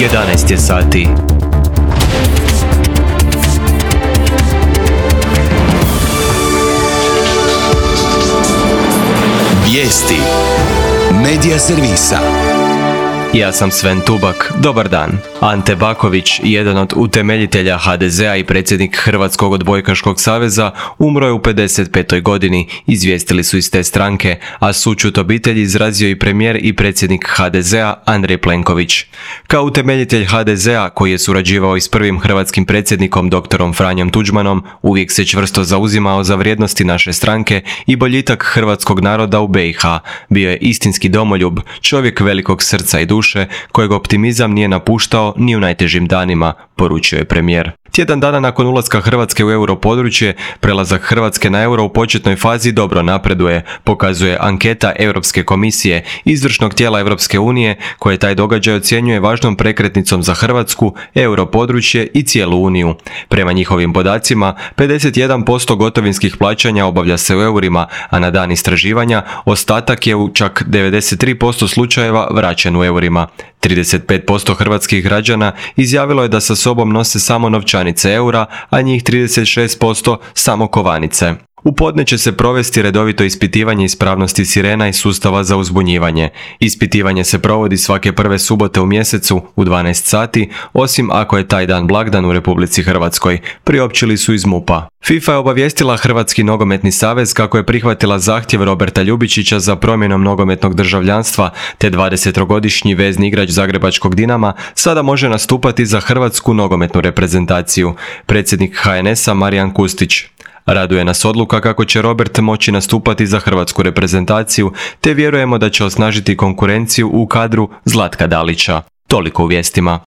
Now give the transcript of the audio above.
11 je sati. Vijesti Medija servisa. Ja sam Sven Tubak, dobar dan. Ante Baković, jedan od utemeljitelja HDZ-a i predsjednik Hrvatskog odbojkaškog saveza, umro je u 55. godini, izvijestili su iz te stranke, a sućut obitelji izrazio i premijer i predsjednik HDZ-a Andrej Plenković. Kao utemeljitelj HDZ-a, koji je surađivao i s prvim hrvatskim predsjednikom dr. Franjom Tuđmanom, uvijek se čvrsto zauzimao za vrijednosti naše stranke i boljitak hrvatskog naroda u BiH. Bio je istinski domoljub, čovjek velikog srca i duše, kojeg optimizam nije napuštao ni u najtežim danima, poručio je premijer. Tjedan dana nakon ulaska Hrvatske u europodručje, prelazak Hrvatske na euro u početnoj fazi dobro napreduje, pokazuje anketa Europske komisije, izvršnog tijela Europske unije, koje taj događaj ocjenjuje važnom prekretnicom za Hrvatsku, europodručje i cijelu Uniju. Prema njihovim podacima, 51% gotovinskih plaćanja obavlja se u eurima, a na dan istraživanja ostatak je u čak 93% slučajeva vraćen u eurima. 35% hrvatskih građana izjavilo je da sa sobom nose samo novčanice eura, a njih 36% samo kovanice. U podne će se provesti redovito ispitivanje ispravnosti sirena i sustava za uzbunjivanje. Ispitivanje se provodi svake prve subote u mjesecu u 12 sati, osim ako je taj dan blagdan u Republici Hrvatskoj, priopćili su iz MUP-a. FIFA je obavijestila Hrvatski nogometni savez kako je prihvatila zahtjev Roberta Ljubičića za promjenom nogometnog državljanstva, te 20-godišnji vezni igrač zagrebačkog Dinama sada može nastupati za hrvatsku nogometnu reprezentaciju. Predsjednik HNS-a Marijan Kustić. Raduje nas odluka kako će Robert moći nastupati za hrvatsku reprezentaciju, te vjerujemo da će osnažiti konkurenciju u kadru Zlatka Dalića. Toliko u vijestima.